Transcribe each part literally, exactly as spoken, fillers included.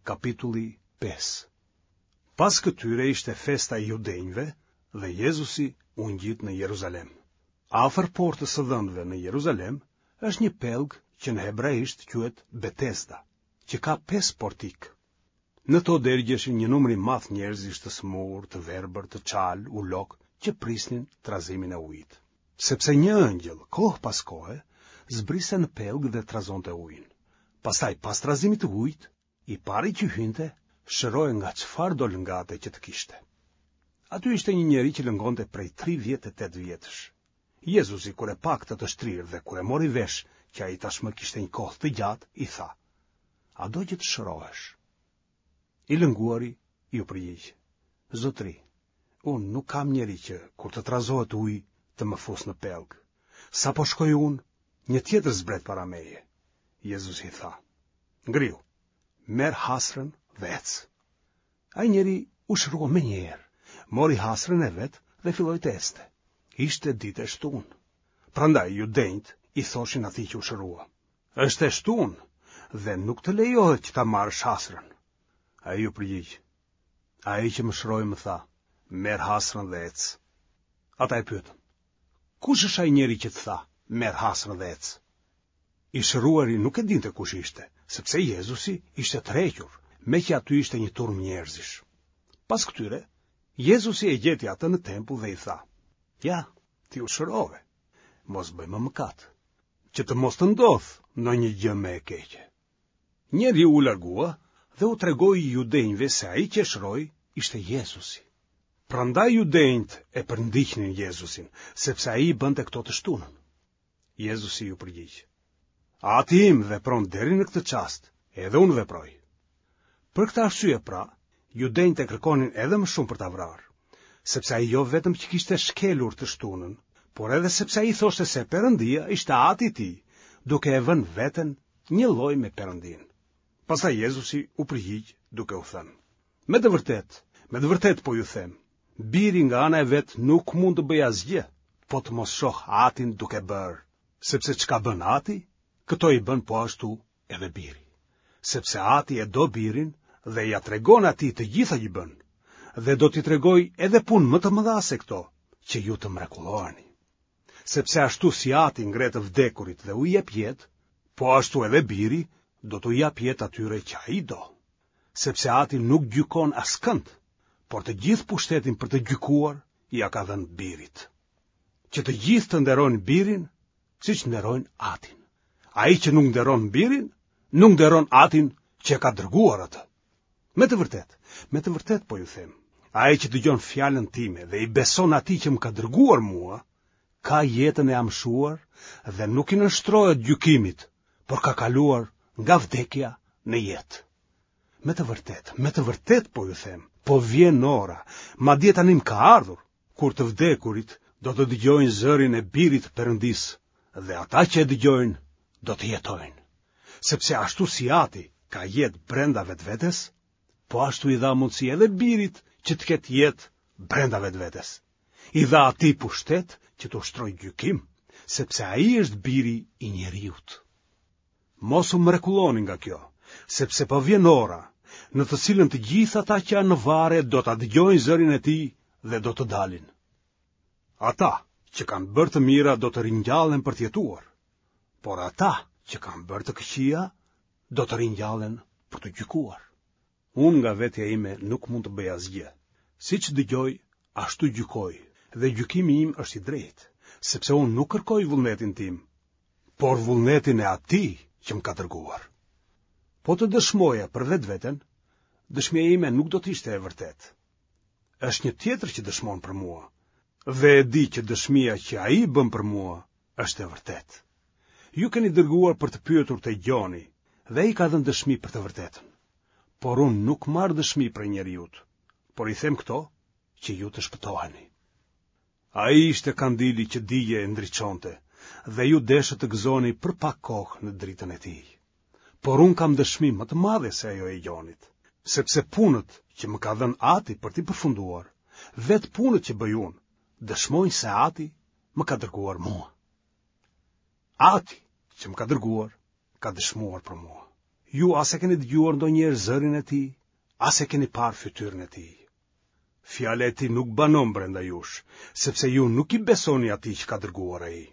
Kapitulli pesë. Pas këtyre ishte festa e judenjve dhe Jezusi u ngjit në Jeruzalem. Afër portës së dhenve në Jeruzalem është një pellg që në hebraisht quhet Betesda, që ka pesë portikë. Në to dergjeshin një numër i madh njerëzish të sëmurë, të verbër, të çalë, ulokë, që prisnin trazimin e ujit. Sepse një engjëll, kohë pas kohe, zbriste në pellg dhe trazonte ujin. Pastaj, pas trazimit të ujit, i pari që hynte, shërohej nga çfarëdo lëngate që të kishte. Aty ishte një njeri që lëngonte prej tridhjetë e tetë vjetësh. Jezusi kur e pa këtë të shtrirë dhe kur e mori vesh që ai tashmë kishte një kohë të gjatë, i tha: A do që të shërohesh? I lënguari iu përgjigj: Zotëri, unë nuk kam njeri që kur të trazohet uji të më fusë në pellg. Sapo shkoj unë, një tjetër zbret para meje. Jezusi i tha: Ngrihu, merr hasrën dhe ec. Ai njeri u shërua menjëherë, mori hasrën e vet dhe filloi të ecte. Ishte ditë e shtunë. Prandaj judenjtë i thoshin atij që u shërua: Është e shtunë dhe nuk të lejohet që ta marrësh hasrën. Ai iu përgjigj: Ai që më shëroi më tha, merr hasrën dhe ec. Ata e pyetën: Kush është ai njeri që të tha, merr hasrën dhe ec? I shëruari nuk e dinte kush ishte, sepse Jezusi ishte tërhequr, meqë aty ishte një turmë njerëzish. Pas këtyre, Jezusi e gjeti atë në tempull dhe i tha: Ja, ti u shërove, mos bëj më mëkat, që të mos të ndodhë ndonjë gjë më e keqe. Njeriu u largua dhe u tregoi judenjve se ai që e shëroi ishte Jezusi. Prandaj judenjtë e përndiqnin Jezusin, sepse ai i bënte këto të shtunën. Jezusi iu përgjigj: Ati im vepron deri në këtë çast, edhe unë veproj. Për këtë arsye pra, judenjtë e kërkonin edhe më shumë për ta vrarë, sepse ai jo vetëm që kishte shkelur të shtunën, por edhe sepse ai thoshte se Perëndia ishte ati i tij, duke e vënë veten njëlloj me Perëndinë. Pastaj Jezusi u përgjigj duke u thënë: Me të vërtetë, me të vërtetë po ju them, biri nga ana e vet nuk mund të bëjë asgjë, po të mos shoh atin duke bërë, sepse çka bën ati, këto i bën po ashtu edhe biri. Sepse ati e do birin dhe ia tregon atij të gjitha që bën, dhe do t'i tregojë edhe punë më të mëdha se këto, që ju të mrekulloheni. Sepse ashtu si ati ngre të vdekurit dhe u jep jetë, po ashtu edhe biri do t'u japë jetë atyre që ai do. Sepse ati nuk gjykon askënd, por të gjithë pushtetin për të gjykuar ia ka dhënë birit. Që të gjithë të nderojnë birin, siç nderojnë atin. Ai që nuk nderon birin, nuk nderon atin që e ka dërguar atë. Me të vërtetë, me të vërtetë po ju them, ai që dëgjon fjalën time dhe i beson atij që më ka dërguar mua, ka jetën e amshuar dhe nuk i nënshtrohet gjykimit, por ka kaluar nga vdekja në jetë. Me të vërtetë, me të vërtetë po ju them, po vjen ora, madje tanimë ka ardhur, kur të vdekurit do të dëgjojnë zërin e birit të Perëndisë, dhe ata që e dëgjojnë do të jetojnë. Sepse ashtu si ati ka jetë brenda vetvetes, po ashtu i dha mundësi edhe birit që të ketë jetë brenda vetvetes. I dha atij pushtet që të ushtrojë gjykim, sepse ai është biri i njeriut. Mos u mrekulloni nga kjo, sepse po vjen ora, në të cilën të gjithë ata që janë në varre do ta dëgjojnë zërin e tij dhe do të dalin. Ata që kanë bërë të mira do të ringjallen për të jetuar, por ata që kanë bërë të këqija do të ringjallen për të gjykuar. Unë nga vetja ime nuk mund të bëj asgjë. Siç dëgjoj, ashtu gjykoj, dhe gjykimi im është i drejtë, sepse unë nuk kërkoj vullnetin tim, por vullnetin e atij që më ka dërguar. Po të dëshmoja për vetveten, dëshmia ime nuk do të ishte e vërtetë. Është një tjetër që dëshmon për mua, dhe e di që dëshmia që ai bën për mua është e vërtetë. Ju keni dërguar për të pyetur te Gjoni, dhe ai ka dhënë dëshmi për të vërtetën. Por unë nuk marr dëshmi prej njeriut, por i them këto që ju të shpëtoheni. Ai ishte kandili që digjej e ndriçonte, dhe ju deshët të gëzoni për pak kohë në dritën e tij. Por unë kam dëshmi më të madhe se ajo e Gjonit, sepse punët që më ka dhënë Ati për t'i përfunduar, vetë punët që bëj unë, dëshmojnë se Ati më ka dërguar mua. Ati që më ka dërguar, ka dëshmuar për mua. Ju as e keni dëgjuar ndonjëherë zërin e tij, as e keni parë fytyrën e tij. Fjala e tij nuk banon brenda jush, sepse ju nuk i besoni atij që ka dërguar ai.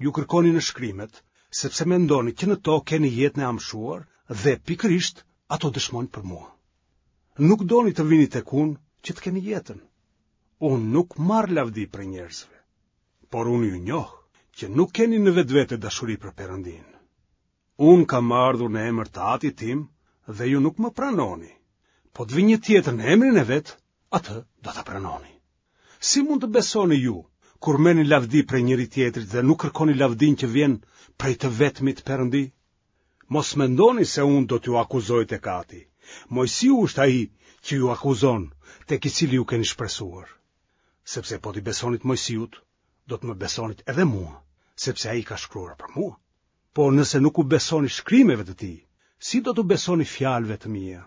Ju kërkoni në shkrimet, sepse mendoni që në to keni jetën e amshuar dhe pikërisht ato dëshmojnë për mua. Nuk doni të vini tek unë që të keni jetën. Unë nuk marr lavdi prej njerëzve, por unë ju njoh që nuk keni në vetvete dashuri për Perëndinë. Unë kam ardhur në emër të Atit tim dhe ju nuk më pranoni. Po të vijë një tjetër në emrin e vet, atë do ta pranoni. Si mund të besoni ju, kur merrni lavdi prej njëri-tjetrit dhe nuk kërkoni lavdinë që vjen prej të vetmit Perëndi? Mos mendoni se unë do t'ju akuzoj tek Ati. Moisiu është ai që ju akuzon, tek i cili ju keni shpresuar. Sepse po t'i besonit Moisiut, do të më besonit edhe mua, sepse ai ka shkruar për mua. Por nëse nuk u besoni shkrimeve të tij, si do t'u besoni fjalëve të mia?